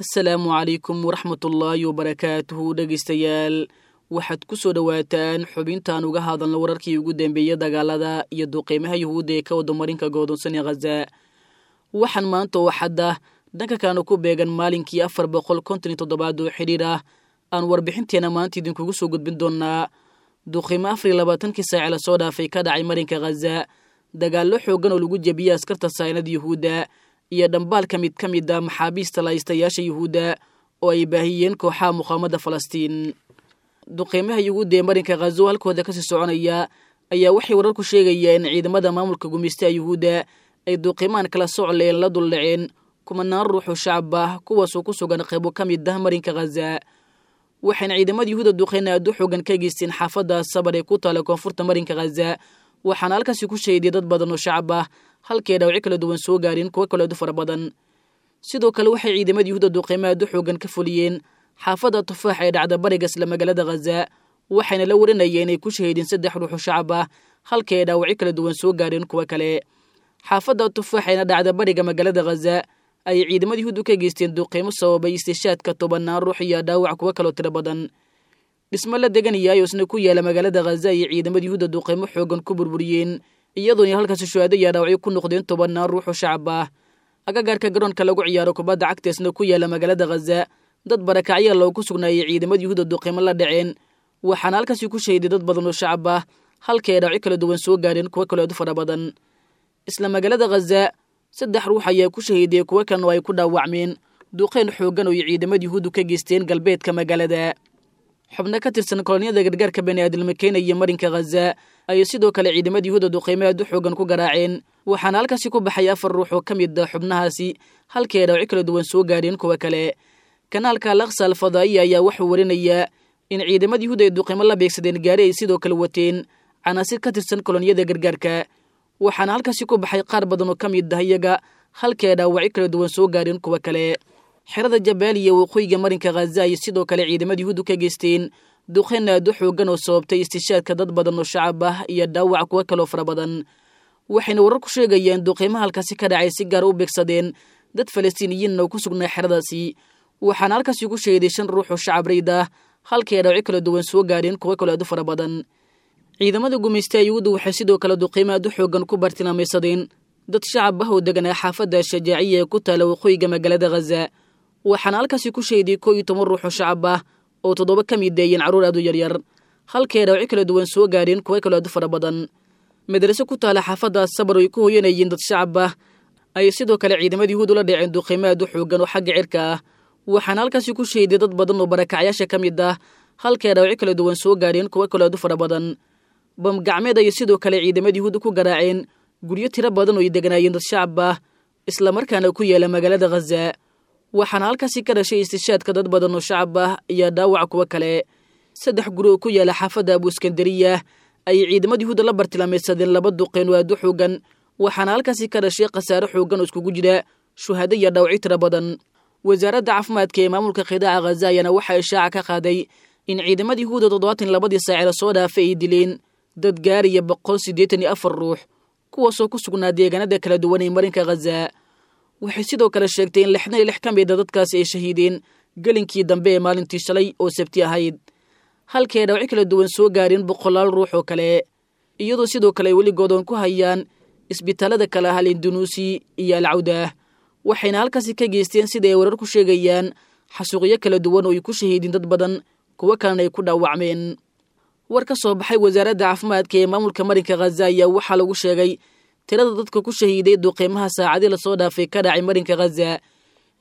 Asalaamu calaykum waraxmatullaahi wabarakaatuhu dhegaystayaal, waxaad ku soo dhowaataan xubintaan uga hadalna wararkii ugu dambeeyey dagaalada iyo duqeymaha yuhuudda ee ka wada marinka godoonsan ee Khaza. Waxaan maanta oo xadda dhanka kalena ku beegan maalinkii 457aad oo xidhiir ah aan warbixinteena maanta idinkugu soo gudbin doonaa duqeymo 24kii saace lasoo dhaafay ka dhacay marinka Khaza, dagaallo xooggan oo lagu jebiyey askarta saynada yuhuudda iyo dhambaalka mid ka mid a maxaabiista lahaystayaasha yuhuudda oo ay baahiyeen kooxaha muqaamada Falastiin. Duqeymaha yuhuudda ee marinka Khazo halkooda kasii soconaya ayaa waxay wararku sheegayaan in ciidamada maamulka gumaystaha yuhuudda ay duqeymahan kala socleen la duldhaceen kumanaan ruux oo shacab ah, kuwaasoo ku sugan qaybo ka mid ah marinka Khaza. Waxayna ciidamada yuhuudda duqeyn aad u xoogan ka geysteen xaafadda Sabar ee ku taala koonfurta marinka Khaza, waxaana halkaasi ku shahiday dad badan oo shacab ah, halkii ay dhaawacyo kala duwan soo gaareen kuwo kale aad u fara badan. Sidoo kale waxay ciidamada yuhuudda duqeymo aad u xoogan ka fuliyeen xaafadda Tufaax ee dhacda bariga isla magaalada Khaza, waxayna la warinayeen inay ku shahiideen 3 ruux oo shacab ah, halkii ay dhaawacyo kala duwan soo gaareen kuwo kale. Xaafadda Tufaax eena dhacda bariga magaalada Khaza ayay ciidamada yuhuuddu ka geysteen duqeymo sababay istishaadka tobanaan ruux iyo dhaawac kuwo kaloo tiro badan. Dhismo la degan yahay oo isna ku yaala magaalada Khaza ayay ciidamada yuhuudda duqeymo xoogan ku burburiyeen, iyadoona halkaasi shuhaado iyo dhaawacyo ku noqdeen tobanaan ruux oo shacab ah. Agagaarka garoonka lagu ciyaaro kubadda cagta isna ku yaala magaalada Khaza, dad barakacyaa loogu sugnaayay ciidamada yuhuudda duqeymo la dhaceen, waxaana halkaasi ku shahiday dad badan oo shacab ah, halkii ay dhaawacyo kala duwan soo gaareen kuwo kaloo aad u fara badan. Isla magaalada Khaza 3 ruux ayaa ku shahiiday, kuwo kalena oo ay ku dhaawacmeen duqeyn xooggan oo ay ciidamada yuhuuddu ka geysteen galbeedka magaalada. Xubno ka tirsan kolonyada gargaarka baniaadilma keenaya marinka Khaza ayay sidoo kale ciidamada yuhuudda duqeymo aad u xoogan ku garaaceen, waxaana halkaasi ku baxay 4 ruux oo ka mid ah xubnahaasi, halkii ay dhaawacyo kala duwan soo gaareen kuwo kale. Kanaalka Alaqsa Alfadaa'iya ayaa wuxuu warinayaa in ciidamada yuhuudda ay duqeymo la beegsadeen gaari ay sidoo kale wateen canaasir ka tirsan kolonyada gargaarka, waxaana halkaasi ku baxay qaar badan oo ka mid ah iyaga, halkii ay dhaawacyo kala duwan soo gaareen kuwo kale. Xerada Jabaaliya waqooyiga marinka Khaza ayay sidoo kale ciidamada yuhuuddu ka geysteen duqeyn aad u xoogan oo sababtay istishaadka dad badan oo shacab ah iyo dhaawac kuwo kaloo fara badan. Waxayna warar ku sheegayaan duqeymaha halkaasi ka dhacay si gaar u beegsadeen dad Falastiiniyiinna oo ku sugnaa xeradaasi, waxaana halkaasi ku shahiday 5 ruux oo shacab rayd ah, halkii ay dhaawacyo kala duwan soo gaareen kuwo kaloo aad u fara badan. Ciidamada gumaystaha yuhuuddu waxay sidoo kale duqeymo aad u xoogan ku bartilmaamaysadeen dad shacab ah oo deganaa xaafadda Shajaaciya ee ku taala waqooyiga magaalada Khaza, waxaana halkaasi ku shahiday 11 ruux oo shacab ah oo 7 ka mid deeyeen carruur aad u yaryar, halkii ay dhaawacyo kala duwan soo gaareen kuwo kaloo aad u fara badan. Madraso ku taala xaafadda Sabar oo ay ku hoyanayeen dad shacab ah ayay sidoo kale ciidamada yuhuuddu la dhaceen duqeymo aad u xoogan oo xagga cirka ah, waxaana halkaasi ku shahiday dad badan oo barakacyaasha ka mid ah, halkii ay dhaawacyo kala duwan soo gaareen kuwo kaloo aad u fara badan. Bam gacmeed ayay sidoo kale ciidamada yuhuudda ku garaaceen guryo tiro badan oo ay deganaayeen dad shacab ah, islamarkaana ku yaala magaalada Khaza, waxaana halkaasi ka dhashay istishaadka dad badan oo shacab ah iyo dhaawac kuwo kale. 3 guri oo ku yaala xaafadda Abu Iskandariya ayay ciidamada yuhuudda la bartilmaameedsadeen 2 duqeyn oo aad u xoogan, waxaana halkaasi ka dhashay khasaare xooggan oo iskugu jira shuhado iyo dhaawacyo tiro badan. Wasaaradda caafimaadka ee maamulka qidaaca Khaza ayaana waxaa ishaaca ka qaaday in ciidamada yuhuudda 72dii saace lasoo dhaafay ay dileen dad gaaraya 184 ruux, kuwaasoo ku sugnaa deegaanada kala duwan ee marinka Khaza. Waxay sidoo kale sheegtay in 66 ka mid a dadkaasi ay shahiideen gelinkii dambe ee maalintii shalay oo sabti ahayd, halkii ay dhaawacyo kala duwan soo gaareen boqolaal ruux oo kale, iyadoo sidoo kale ay weli goodoon ku hayaan isbitaalada kale ah Alindunuusi iyo Alcawdah, waxayna halkaasi ka geysteen sida ay warar ku sheegayaan xasuuqyo kala duwan oo ay ku shahiideen dad badan, kuwo kalena ay ku dhaawacmeen. War ka soo baxay wasaaradda caafimaadka ee maamulka marinka Khaza ayaa waxaa lagu sheegay tirada dadka ku shahiiday duqeymaha saacadii lasoo dhaafay ka dhacay marinka Khaza,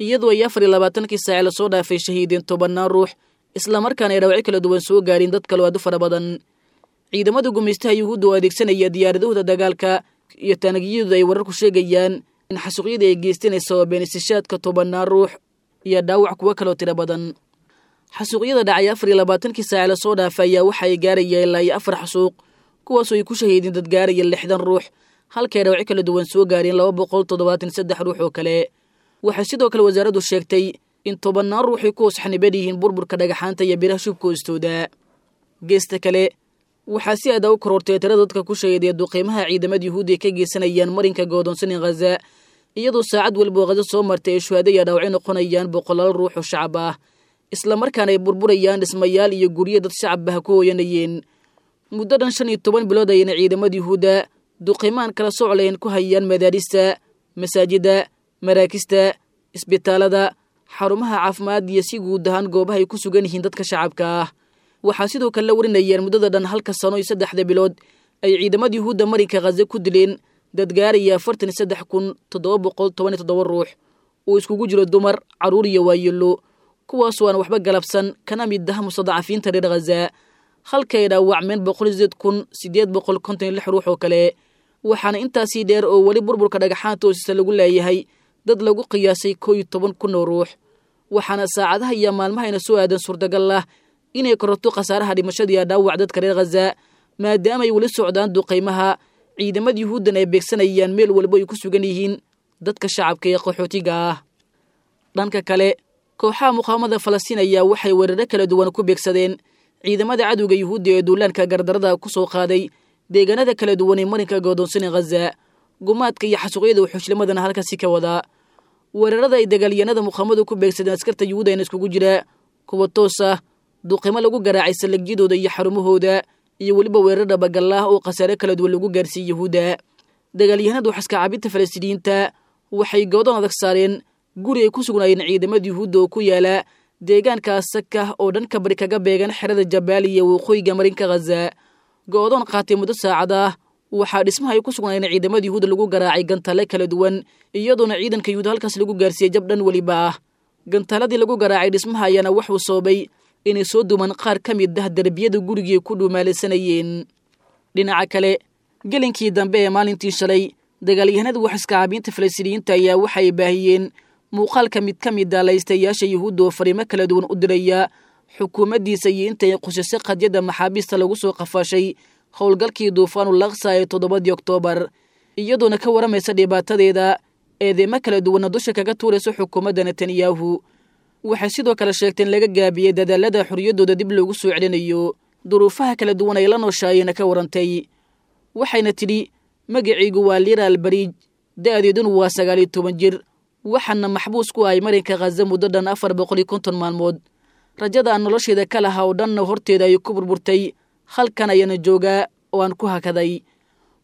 iyadoo ay 24kii saace lasoo dhaafay shahiideen tobanaan ruux, islamarkaana ay dhaawacyo kala duwan soo gaareen dad kaloo aad u fara badan. Ciidamada gumaystaha yuhuudda oo adeegsanaya diyaaradahooda dagaalka iyo taanagiyadooda ay wararku sheegayaan in xasuuqyada ay geysteen ay sababeen istishaadka tobanaan ruux iyo dhaawac kuwo kaloo tiro badan. Xasuuqyada dhacay 24kii saace lasoo dhaafay ayaa waxa ay gaaraya ilaa iyo 4 xasuuq, kuwaasoo ay ku shahiideen dad gaaraya 60 ruux, halkii ay dhaawacyo kala duwan soo gaareen 273 ruux oo kale. Waxay sidoo kale wasaaraddu sheegtay in tobanaan ruux ay ku hoos xaniban yihiin burburka dhagaxaanta iyo biraha shubka hoostooda. Geesta kale, waxaa si aada u korortay tirada dadka ku shahiiday duqeymaha ciidamada yuhuudda ay ka geysanayaan marinka goodoonsan ee Khaza, Iyadoo saacad walba oo Khaza soo martay ay shuhaado iyo dhaawacyo noqonayaan boqolaal ruux oo shacab ah, islamarkaana ay burburayaan dhismayaal iyo guryo dad shacab ah ku hooyanayeen. Muddo dhan 15 bilood ayayna ciidamada Yuhuudda duqimaan kala soclayn ku hayaan madaarista, masaajida, maraakista, isbitaalada, xarumaha caafimaad iyo si guud ahaan goobaha ay ku sugan yihiin dadka shacabka ah. Waxaa sidoo kale la warinayaan muddada dhan halka sano iyo 3 bilood ay ciidamada Yuhuudda marinka Khaza ku dileen dad gaaraya 43,717 ruux oo iskugu jiro dumar, carruur iyo waayeelo, kuwaasoo aan waxba galabsan kana mid ah mustadacafiinta reer Khaza, halka ay dhaawacmeen 108,856 ruux oo kale. Waxaana intaasii dheer oo weli burburka dhagaxaanta hoosisa lagu leeyahay dad lagu qiyaasay 11,000 oo ruux. Waxaana saacadaha iyo maalmahayna soo aadan suurtagal ah inay kororto khasaaraha dhimashadiiyo dhaawac dadka reer Khaza, maadaama ay weli socdaan duqaymaha ciidamada Yuhuuddan ay beegsanayaan meel walba ay ku sugan yihiin dadka shacabka ee qaxootiga ah. Dhanka kale, kooxaha muqaawamada Falastiin ayaa waxay weeraro kala duwan ku beegsadeen ciidamada cadowga Yuhuudda ee duulaanka gardarada ku soo qaaday deegaanada kala duwan ee marinka godoonsan ee Khaza, gumaadka iyo xasuuqyada wuxuushlimadana halkaasi ka wadaa. Weerarada ay dagaalyahanada muqaawamadu ku beegsadeen askarta Yuhuudda ayna iskugu jira kuwa toos ah, duqimo lagu garaacay saldhigyadooda iyo xarumahooda, iyo weliba weerar dhabagal ah oo khasaare kala duwan lagu gaarsiiyey Yuhuudda. Dagaalyahanada waxaska caabinta Falastiiniyiinta waxay goodoon adag saareen guri ay ku sugnaayeen ciidamada Yuhuudda oo ku yaala deegaanka Sakah oo dhanka bari kaga beegan xerada Jabaaliya waqooyiga marinka Khaza. Goodoon qaatay muddo saacad ah, waxaa dhismaha ay ku sugnaayeen ciidamada Yuhuudda lagu garaacay gantaale kala duwan, iyadoona ciidanka Yuhuudda halkaas lagu gaarsiiyey jab dhan weliba ah. Gantaaladii lagu garaacay dhismaha ayaana wuxuu sababay inay soo dumaan qaar ka mid ah derbiyada gurigii ku dhuumaalaysanayeen. Dhinaca kale, gelinkii dambe ee maalintii shalay, dagaalyahanada waxaska caabiinta Falastiiniyiinta ayaa waxay baahiyeen muuqaalka mid ka mid ah laystayaasha Yuhuudda oo fariimo kala duwan u diraya xukuumaddiisa iyo intay qusisay qadyadda maxaabiista lagu soo qafaashay howlgalkii duufaanul Aqsa ee 7dii Oktoobar, iyadoona ka waramaysa dhibaatadeeda, eedeymo kala duwanna dusha kaga tuuraysa xukuumadda Netanyahu. Waxay sidoo kale sheegteen in laga gaabiyey dadaalada xorriyaddooda dib loogu soo celinayo, duruufaha kala duwan ay la nooshaayena ka warantay. Waxayna tidhi, magacaygu waa Lira Albariij, da'deeduna waa 19 jir, waxaana maxbuus ku ahay marinka Khaza muddo dhan 450 maalmood. Rajada aan nolosheeda ka lahaa oo dhanna horteeda ay ku burburtay, halkan ayaana joogaa oo aan ku hakaday.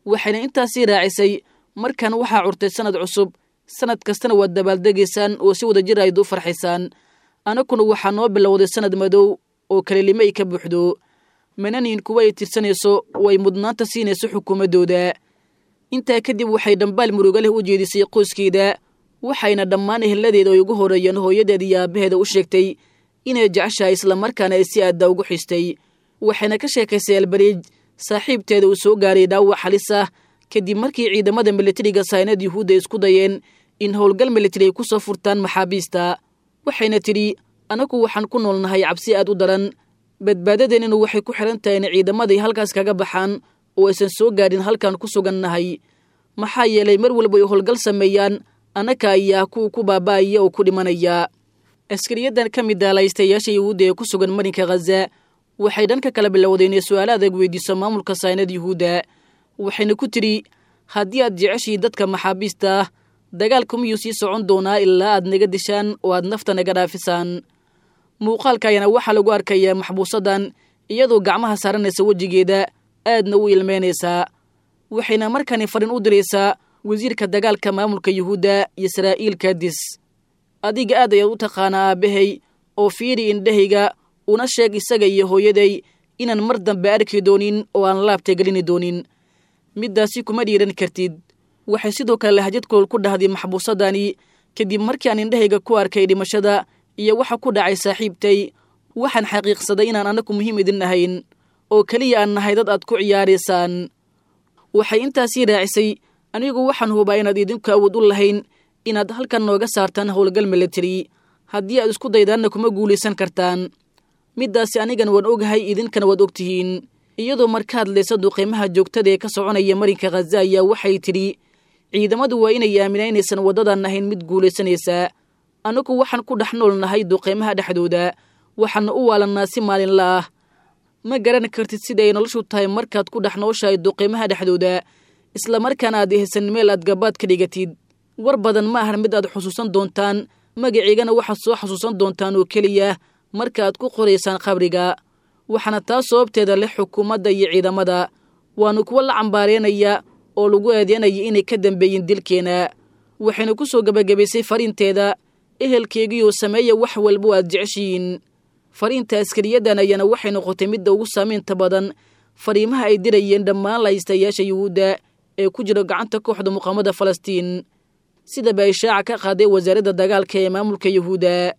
Waxayna intaasii raacisay, markan waxaa curtay sannad cusub, sannad kastana waad dabaaldegaysaan oo si wadajir ayd u farxaysaan. Anakuna waxaa noo bilowday sannad madow oo kalelimo ay ka buuxdo, mananiin kuwa ay tirsanayso oo ay mudnaanta siinayso xukuumaddooda. Intaa kadib waxay dhambaal murugo leh u jeedisay qoyskeeda, waxayna dhammaan eheladeeda ay ugu horreeyeen hooyadeeda iyo aabbaheeda u sheegtay inay jeceshahay islamarkaana ay si aadda ugu xistay. Waxayna ka sheekaysay Albariij saaxiibteeda uu soo gaaray dhaawac halis ah kadib markii ciidamada militariga saynad Yuhuudda isku dayeen in howlgal militari ay ku soo furtaan maxaabiista. Waxayna tidhi, anagu waxaan ku noolnahay cabsi aad u daran, badbaadadeenninu waxay ku xidhan tahay in ciidamaday halkaas kaga baxaan oo aysan soo gaadhin halkaan ku sugannahay, maxaa yeelay mar walba ay howlgal sameeyaan annaka ayaa kuwa ku baaba'aya oo ku dhimanaya. Askariyadan ka mid ah laystayaasha Yuhuudda ee ku sugan marinka Khaza waxay dhanka kala bilowday inay su'aalo adag weydiiso maamulka saynad Yuhuudda. Waxayna ku tidhi, haddii aad jeceshihiin dadka maxaabiista ah, dagaalku miyuu sii socon doonaa ilaa aad naga dishaan oo aad nafta naga dhaafisaan? Muuqaalka ayaana waxaa lagu arkayaa maxbuusadan iyadoo gacmaha saaranaysa wejigeeda, aadna u ilmeynaysaa. Waxayna markani farin u diraysaa wasiirka dagaalka maamulka Yuhuudda Yisraa'iil Kadis. Adiga aad ayaad u taqaanaa aabbahay, oo fiiri indhahayga, una sheeg isaga iyo hooyaday inaan mar dambe arki doonin oo aan laabta gelini doonin. Middaasi kuma dhiiran kartid. Waxay sidoo kale lahjad kool ku dhahday maxbuusadani, kadib markii aan indhahayga ku arkay dhimashada iyo waxa ku dhacay saaxiibtay, waxaan xaqiiqsaday inaan anaku muhiim idin ahayn, oo keliya aan nahay dad aad ku ciyaaraysaan. Waxay intaasii raacisay, anigu waxaan hubaa inaad idinku awood u lahayn inaad halkan nooga saartaan howlgal militari, haddii aad isku daydaanna kuma guulaysan kartaan. Middaasi anigan waan ogahay, idinkana waad ogtihiin. Iyadoo marka hadlaysa duqiimaha joogtada ee ka soconaya marinka Khaza ayaa waxay tidhi, ciidamadu waa inay aaminaa inaysan waddadan ahayn mid guulaysanaysa. Anagu waxaan ku dhex nool nahay duqiimaha dhexdooda, waxaana u waalannaa si maalinla ah. Ma garan kartid sida ay noloshu tahay markaad ku dhex nooshahay duqiimaha dhexdooda, islamarkaana aad ehsan meel aad gabaad ka dhigatid. War badan ma ahan mid aad xusuusan doontaan, magaciigana waxaad soo xasuusan doontaan oo keliya markaaad ku qoraysaan qabriga. Waxaana taas sababteeda leh xukuumadda iyo ciidamada, waana kuwo la cambaareenaya oo lagu eedeynaya inay ka dambeeyeen dilkeena. Waxayna ku soo gebagabaysay fariinteeda: ehelkeygiioo sameeya wax walbo aad jeceshihiin. Fariinta askariyadan ayaana waxay noqotay midda ugu saamaynta badan fariimaha ay dirayeen dhammaan lahaystayaasha yuhuudda ee ku jira gacanta kooxda muqaamada Falastiin, sidaba ay shaaca ka qaaday wasaaradda dagaalka ee maamulka yuhuudda.